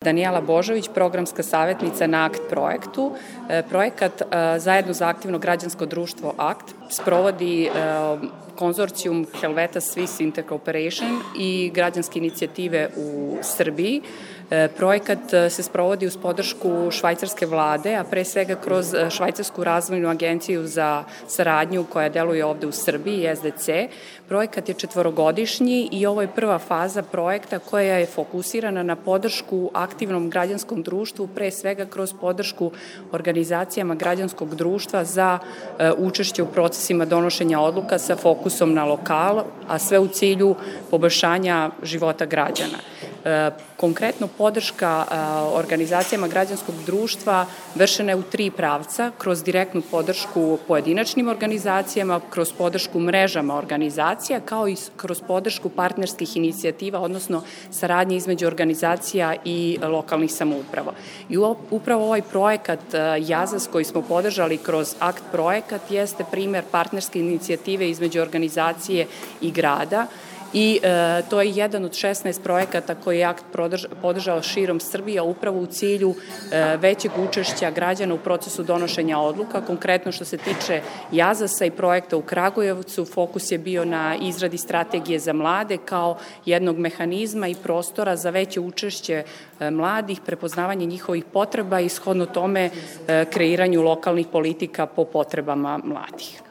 Danijela Božović, programska savjetnica na ACT projektu. Projekat zajedno za aktivno građansko društvo ACT sprovodi konzorcijum Helvetas Swiss Intercooperation i građanske inicijative u Srbiji. Projekat se sprovodi uz podršku švajcarske vlade, a pre svega kroz Švajcarsku razvojnu agenciju za saradnju koja deluje ovde u Srbiji, SDC. Projekat je 4-godišnji i ovo je prva faza projekta koja je fokusirana na podršku aktivnom građanskom društvu, pre svega kroz podršku organizacijama građanskog društva za učešće u procesima donošenja odluka sa fokusom na lokal, a sve u cilju poboljšanja života građana. Konkretno podrška organizacijama građanskog društva vršena je u 3 pravca, kroz direktnu podršku pojedinačnim organizacijama, kroz podršku mrežama organizacija, kao i kroz podršku partnerskih inicijativa, odnosno saradnje između organizacija i lokalnih samouprava. I upravo ovaj projekat JAZAS koji smo podržali kroz ACT projekat jeste primer partnerske inicijative između organizacije i grada, i to je jedan od 16 projekata koji je ACT podržao širom Srbije, upravo u cilju većeg učešća građana u procesu donošenja odluka. Konkretno što se tiče JAZAS-a i projekta u Kragujevcu, fokus je bio na izradi strategije za mlade kao jednog mehanizma i prostora za veće učešće mladih, prepoznavanje njihovih potreba i shodno tome kreiranju lokalnih politika po potrebama mladih.